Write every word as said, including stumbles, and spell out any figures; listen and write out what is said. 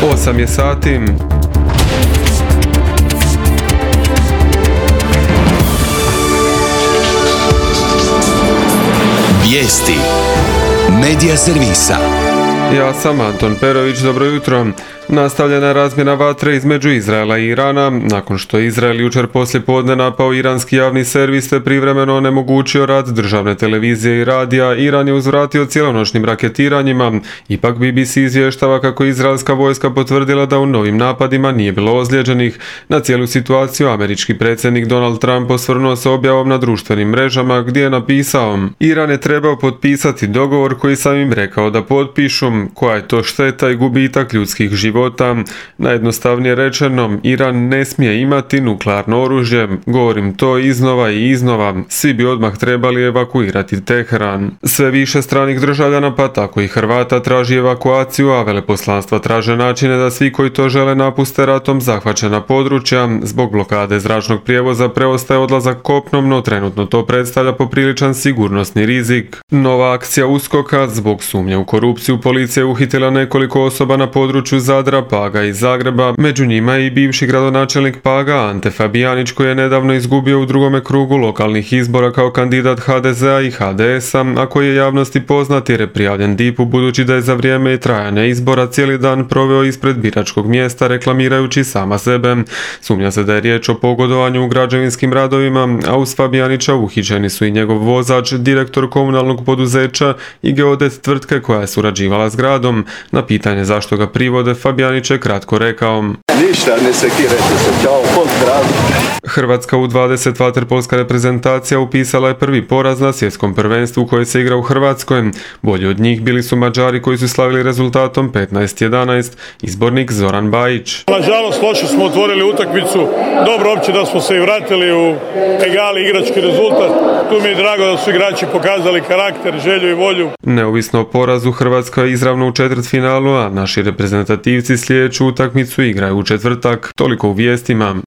osam je sati. Vijesti Medija servisa. Ja sam Anton Perović, dobro jutro. Nastavljena je razmjena vatre između Izraela i Irana, nakon što je Izrael jučer poslije podne napao iranski javni servis te privremeno onemogućio rad državne televizije i radija. Iran je uzvratio cijelonoćnim raketiranjima. Ipak B B C izvještava kako je izraelska vojska potvrdila da u novim napadima nije bilo ozlijeđenih. Na cijelu situaciju američki predsjednik Donald Trump osvrnuo se objavom na društvenim mrežama gdje je napisao: Iran je trebao potpisati dogovor koji sam im rekao da potpišu, koja je to šteta i gubitak ljudskih života. Najjednostavnije rečeno, Iran ne smije imati nuklearno oružje. Govorim to iznova i iznova. Svi bi odmah trebali evakuirati Teheran. Sve više stranih državljana, pa tako i Hrvata, traži evakuaciju, a veleposlanstva traže načine da svi koji to žele napuste ratom zahvaćena područja. Zbog blokade zračnog prijevoza preostaje odlazak kopnom, no trenutno to predstavlja popriličan sigurnosni rizik. Nova akcija uskoka zbog sumnje u korupciju. Policija je uhitila nekoliko osoba na području Zadra, Paga i Zagreba, među njima i bivši gradonačelnik Paga Ante Fabijanić, koji je nedavno izgubio u drugome krugu lokalnih izbora kao kandidat H D Z-a i H D S-a, a koji je javnosti poznat jer je prijavljen D I P-u budući da je za vrijeme trajanja izbora cijeli dan proveo ispred biračkog mjesta reklamirajući sama sebe. Sumnja se da je riječ o pogodovanju u građevinskim radovima, a uz Fabijanića uhićeni su i njegov vozač, direktor komunalnog poduzeća i geodet tvrtke koja je surađivala s gradom. Na pitanje zašto ga privode, Fabijanić je kratko rekao: Ništa, ne sekirajte se, čao, pozdrav. Hrvatska U dvadeset vaterpolska reprezentacija upisala je prvi poraz na svjetskom prvenstvu koje se igra u Hrvatskoj. Bolji od njih bili su Mađari koji su slavili rezultatom petnaest jedanaest, izbornik Zoran Bajić. Nažalost, loše smo otvorili utakmicu, dobro opće da smo se i vratili u egali igrački rezultat. Tu mi je drago da su igrači pokazali karakter, želju i volju. Neovisno o porazu, Hrvatska je izravno u četvrtfinalu, a naši reprezentativci sljedeću utakmicu igraju u četvrtak. Toliko u vijestima.